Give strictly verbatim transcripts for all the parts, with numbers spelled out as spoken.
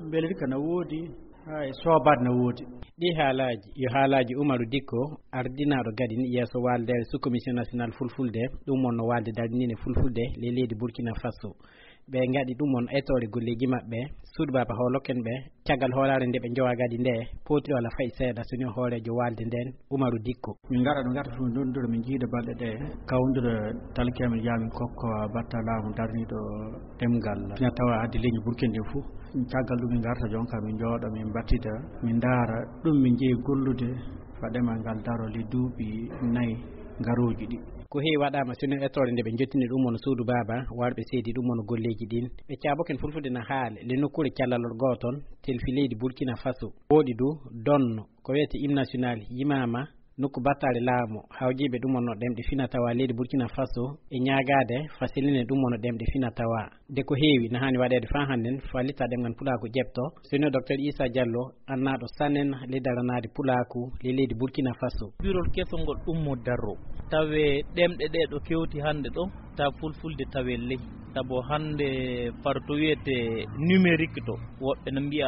Mbelirka na woodi, haa e soobaade na woodi. Ɗii haalaaji yo haalaaji Umaru Dikko, ardinaaɗo gadin yeeso waaldeere sous-commission national fulfulde, ɗum wonno waalde daraniinde fulfulde ley leydi Burkina Faso. Ɓe ngaɗi ɗum won etoore golleeji maɓɓe, suudu baaba hooloken ɓe, caggal hoolaare nde ɓe njowa gadi nde, pootiri walla fayi seeɗa so ni o hooreejo waalde nden, Umaru Dikko. Min ngaɗa ɗo ngaɗa fof, ndonndira min njiida balɗe ɗe, kawndira talkeemen, yaa min kokko batta laamu darniiɗo ɗemngal. Ina tawa addi leñi Burkina ɗin fof. Caggal ɗum min ngarta jonka, min njooɗo, min mbattida, min ndaara ɗum min njeyi gollude, fadema ngal daro le duuɓi nayi ngarooji ɗi. Ko heewi waɗaama, sinno etoore nde ɓe njottini ɗum won suudu baaba, warɓe seedi ɗum won golleeji ɗin. Ɓe caaboken fulfulde na haale, le nokkuure callalol gooton, telfi leydi Burkina Faso. Woɗi du, donno, ko wiyete hymne national, yimaama, nokku battaare laamu, hawjiiɓe ɗum wonno ɗemɗe fina tawa leydi Burkina Faso, e ñaagaade, fasilinen ɗum wonno ɗemɗe fina tawa. De ko heewi, na haani waɗeede faa hannden, fallita ɗemngal pulaaku ƴeɓto, sinno Docteur Issa Diallo, annaaɗo sanen le daranaade pulaaku le leydi Burkina Faso. Birol kesol ngol ɗum mo darro. Tawe ɗemɗe ɗe ɗo kewti hannde ɗo, ta fulfulde tawe ley. Sabu hannde par to wiyete numérique to, woɓɓe no mbiya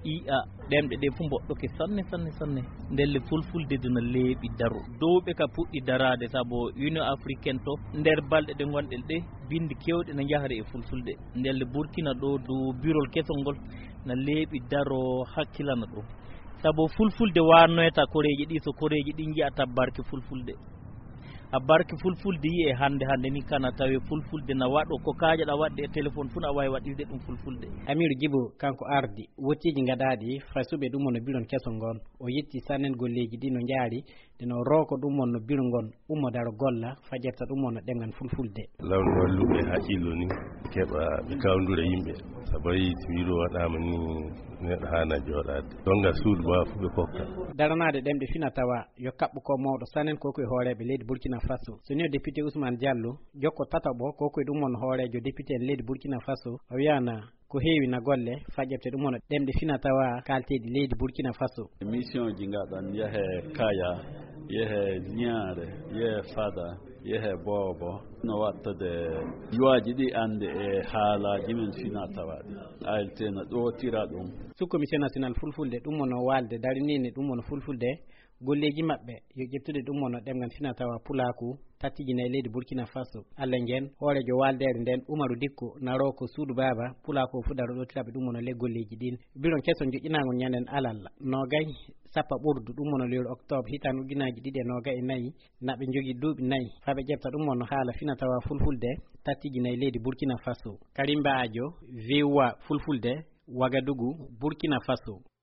I A, ɗemɗe ɗe fof mboɗɗoke sanne, sanne, sanne. Ndelle fulfulde de no leeɓi daro. Dowɓe ka puɗɗi daraade, sabu Union Africaine to, nder balɗe ɗe ngonɗen ɗe, bindi kewɗe no njahre e fulfulde. Ndelle Burkina ɗo du birol kesol ngol na leeɓi daro hakkilana ɗum. Sabu fulfulde wannoyta koreeji ɗi, so koreeji ɗi njiya tabbarki fulfulde. A barki fulfulde yi'e hannde, hannde ni kana tawe fulfulde na waɗo ko kaajaɗa waɗde e téléphone fuu, na waawi waɗirde ɗum fulfulde. Amiru Jibo, kanko ardi wottiiji ngaɗaaɗi fasuɓe ɗum wonno biron kesol ngon. O yetti sannen golleeji ɗi no njaari, nde no rooko ɗum wonno biro ngon ummo daro golla, fa ƴefta ɗum wonno ɗemngal fulfulde. Law no walluɓe haqqillo ni, keɓa ɓe kawndura yimɓe. Sabu a yii, so wiro waɗaama ni, neɗɗo haana jooɗaade. Donga suudu ma fu ɓe kokka. Daranaade ɗemɗe fina tawa yo kaɓɓu ko mawɗo sanen ko ko e hooreeɓe leydi Burkina Faso. So ni o député Ousmane Diallo, jokko tataɓo ko ko e ɗum won hooreejo député en leydi Burkina Faso, o wiyana ko heewi na golle fa ƴefte ɗum won ɗemɗe fina tawa kaalteeɗi leydi Burkina Faso. Mission ji ngaɗan, yehe Kaya, yehe Niare, yehe Fada, yehe Boobo, no wattade yuwaaji ɗi annde e haalaaji men fina tawaaɗi. A L T no ɗootira ɗum. Sous-commission national fulfulde ɗum wonno waalde daraniinde ɗum wonno fulfulde golleeji maɓɓe yo ƴeftude ɗum wonno ɗemngal fina tawa pulaaku tattijina e leydi Burkina Faso. Alla ngen, hooreejo waaldeere nden Umaru Dikko naro ko suudu baaba pulaaku o fu daro ɗootiraɓe ɗum wonno le golleeji ɗin. Biron keso joƴƴinaango ñanden alal noogay sappa ɓurdu ɗum wonno lewru octobre hitaande ujunaaji ɗiɗi e noogay e nayi, na ɓe njogii duuɓi nayi, faa ɓe ƴefta ɗum wonno haala fina tawa fulfulde tattijina e leydi Burkina Faso. Karimba Ajo, V O A fulfulde, Wagadugu, Burkina Faso.